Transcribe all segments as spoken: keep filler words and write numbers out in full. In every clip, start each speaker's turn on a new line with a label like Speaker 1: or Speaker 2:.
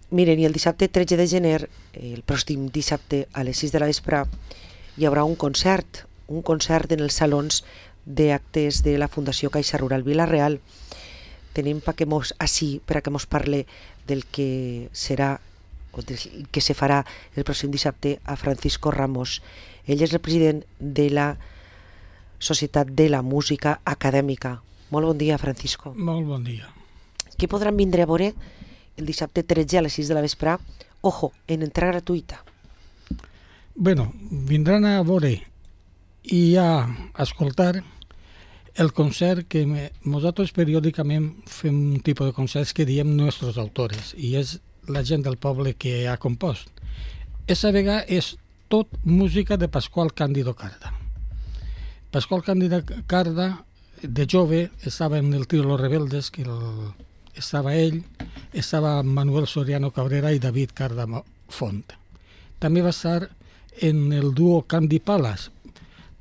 Speaker 1: Miren, i el dissabte tretze de gener, el pròxim dissabte a les sis de la vespre, hi haurà un concert, un concert en els salons d'actes de la Fundació Caixa Rural Vila-real. Tenim pa que mos, així per a que mos parle del que serà o del que se farà el pròxim dissabte a Francisco Ramos. Ell és el president de la Societat de la Música Acadèmica. Molt bon dia, Francisco.
Speaker 2: Molt bon dia.
Speaker 1: Què podran vindre a veure el dissabte tretze a les sis de la vespre? Ojo, en entrada gratuïta.
Speaker 2: Bueno, vindran a veure i a escoltar el concert que me, nosaltres periòdicament fem un tipus de concerts que diem nostres autores, i és la gent del poble que ha compost. Esa vegada és tot música de Pasqual Cándido Carda. Pasqual Cándido Carda, de jove, estava en el trio Los Rebeldes, que el, estava ell, estava Manuel Soriano Cabrera i David Carda Font. També va estar en el dúo Candy Palace,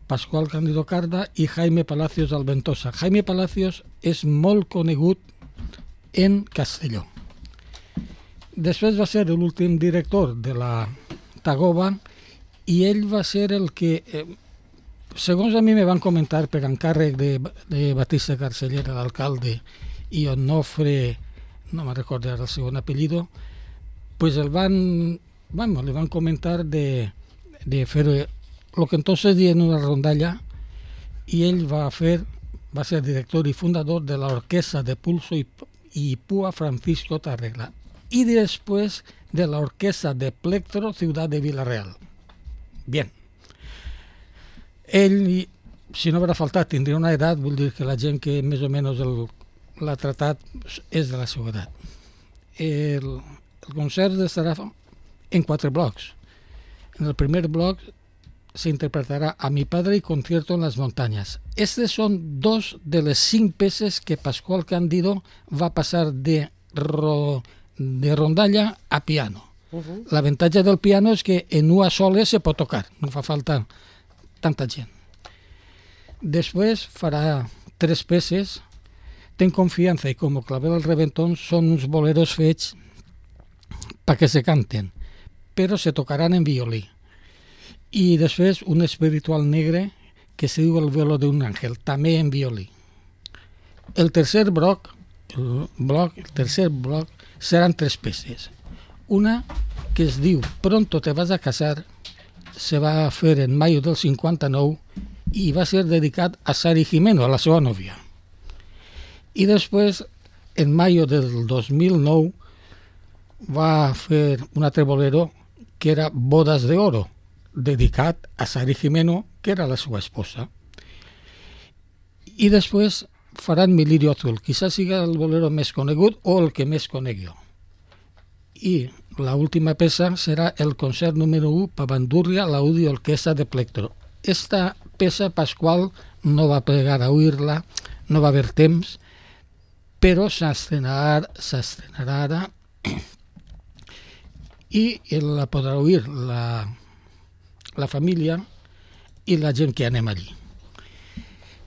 Speaker 2: Pasqual Cándido Carda i Jaime Palacios Alventosa. Jaime Palacios és molt conegut en Castelló. Després va ser l'últim director de la Tagoba i ell va ser el que, eh, segons a mi me van comentar per encàrrec de, de Batista Carcellera, l'alcalde, i Onofre, no me recordo ara el segon apellido, pues el van, bueno, le van comentar de, de fer lo que entonces dien una rondalla, i ell va fer, va ser director i fundador de la orquesta de pulso i, i púa Francisco Tarregla, y después de la orquesta de plectro Ciudad de Vila-real. Bien. Ell, si no haurà faltat, tindria una edat, vull dir que la gent que més o menys el, l'ha tratat és de la seva edat. El, el concert estarà en quatre blocs. En el primer bloc se interpretarà A mi padre y Concierto en las montañas. Estes són dos de les cinc peces que Pasqual Cándido va passar de, ro, de rondalla a piano. Uh-huh. L'avantatge del piano és que en una sola se pot tocar, no fa falta tanta gent. Després farà tres peces. Ten confiança i com Clavel al Reventón són uns boleros fets perquè se canten, però se tocaran en violí. I després un espiritual negre que se diu El vuelo de un ángel, també en violí. El tercer bloc, el, bloc, el tercer bloc seran tres peces. Una que es diu Pronto te vas a casar, se va fer en mayo del cinquanta-nou i va ser dedicat a Sari Jimeno, a la seva nòvia. I després, en mayo del dos mil nou, va fer un altre bolero que era Bodas de Oro, dedicat a Sari Jimeno, que era la seva esposa. I després faran Mi lirio azul, quizás siga el bolero més conegut o el que més conegui. I la última peça serà el concert número u per Bandurria, l'Audi Orquestra de Plectro. Esta peça Pasqual no va plegar a oir-la, no va haver temps, però s'estrenarà, s'estrenarà ara i la podrà oir la, la família i la gent que anem allí.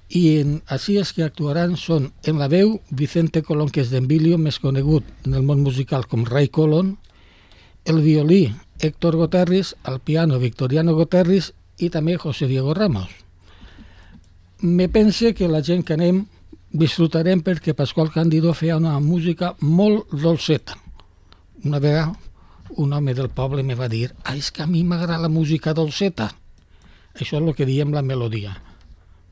Speaker 2: I en, així els que actuaran són en la veu Vicente Colón, que és d'Envilio, més conegut en el món musical com Ray Colón, el violí Héctor Goterris, el piano Victoriano Goterris i també José Diego Ramos. Me pense que la gent que anem disfrutarem perquè Pasqual Cándido feia una música molt dolceta. Una vegada un home del poble me va dir ah, és que a mi m'agrada la música dolceta. Això és el que diem la melodia.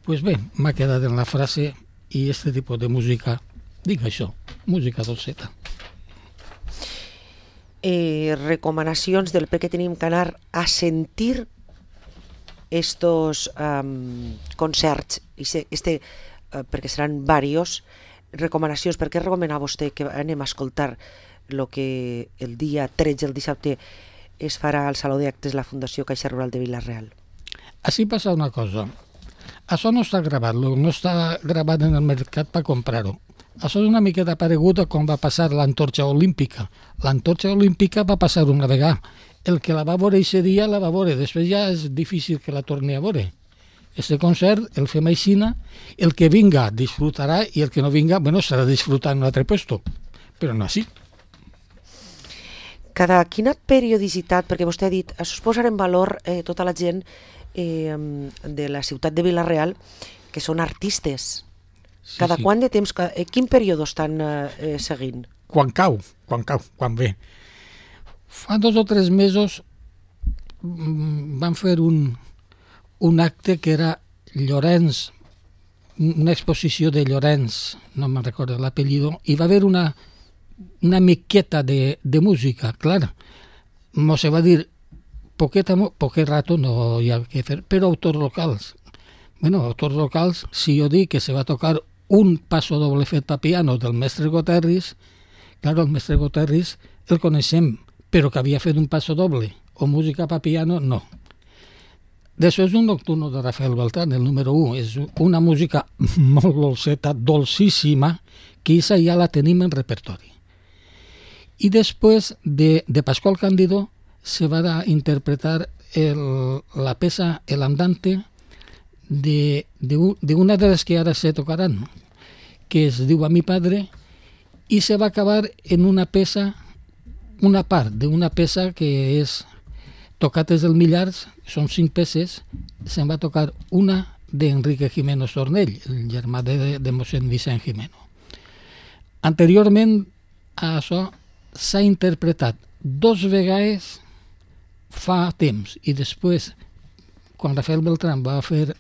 Speaker 2: Pues bé, m'ha quedat en la frase i este tipus de música, dic això, música dolceta.
Speaker 1: Eh, recomanacions del per què tenim que anar a sentir estos um, concerts, este, uh, perquè seran varios, recomanacions, per què recomana vostè que anem a escoltar el que el dia tretze, el dissabte, es farà al Saló d'Actes de la Fundació Caixa Rural de Vila-real?
Speaker 2: Així passa una cosa. Això no està gravat, no està gravat en el mercat per comprar-ho. Això és una miqueta paregut a com va passar l'Antorxa Olímpica. L'Antorxa Olímpica va passar una vegada. El que la va veure aquest dia la va veure, després ja és difícil que la torni a veure. Este concert el fem aixina, el que vinga disfrutarà i el que no vinga, bueno, estarà disfrutant en un altre puesto, però no així.
Speaker 1: Cada quina periodicitat, perquè vostè ha dit, això es posarà en valor eh, tota la gent eh, de la ciutat de Vila-real, que són artistes.
Speaker 2: Sí,
Speaker 1: Cada
Speaker 2: sí.
Speaker 1: quant de temps, eh, quin període estan eh, seguint?
Speaker 2: Quan cau, quan cau, quan ve. Fa dos o tres mesos mm, van fer un, un acte que era Llorenç, una exposició de Llorenç, no me'n recordo l'apellido, i va haver una, una miqueta de, de música, clar. No se va dir poqueta, poquet rato, no hi ha que fer, però autors locals. Bueno, autors locals, si jo dic que se va tocar un passo doble fet per piano del mestre Goterris, claro, el mestre Goterris el coneixem, però que havia fet un passo doble o música per piano, no. D'això és un nocturno de Rafael Beltrán, el número u. És una música molt dolceta, dolcíssima, que aquesta ja la tenim en repertori. I després de, de Pascual Cándido se va a interpretar el, la peça El Andante de, de, de una de les que ara se tocaran, que es diu A mi padre, i se va acabar en una peça, una part d'una peça que és Tocates del Millars, són cinc peces, se'n va tocar una d'Enrique Gimeno Sornell, el germà de, de mossèn Vicent Gimeno. Anteriorment a això s'ha interpretat dos vegades fa temps, i després, quan Rafael Beltrán va fer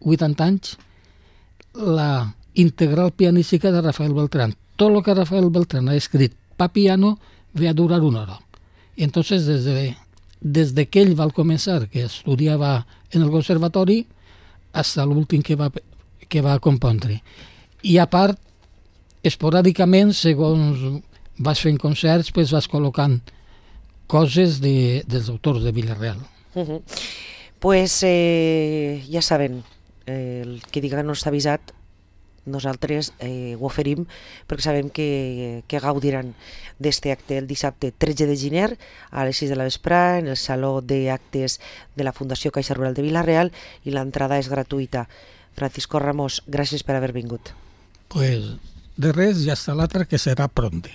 Speaker 2: vuitanta anys, la integral pianística de Rafael Beltrán. Tot el que Rafael Beltrán ha escrit pa piano ve a durar una hora. I entonces, des de des de que ell va començar, que estudiava en el conservatori, fins a l'últim que va, que va compondre. I a part, esporàdicament, segons vas fent concerts, pues vas col·locant coses de, dels autors de Vila-real.
Speaker 1: Uh-huh. Pues eh, ja saben, eh, el que diga no està avisat, nosaltres eh, ho oferim perquè sabem que, que gaudiran d'este acte el dissabte tretze de gener a les sis de la vesprà en el Saló d'Actes de la Fundació Caixa Rural de Vila-real, i l'entrada és gratuïta. Francisco Ramos, gràcies per haver vingut.
Speaker 2: Pues de res, i hasta l'altre, que serà pronte.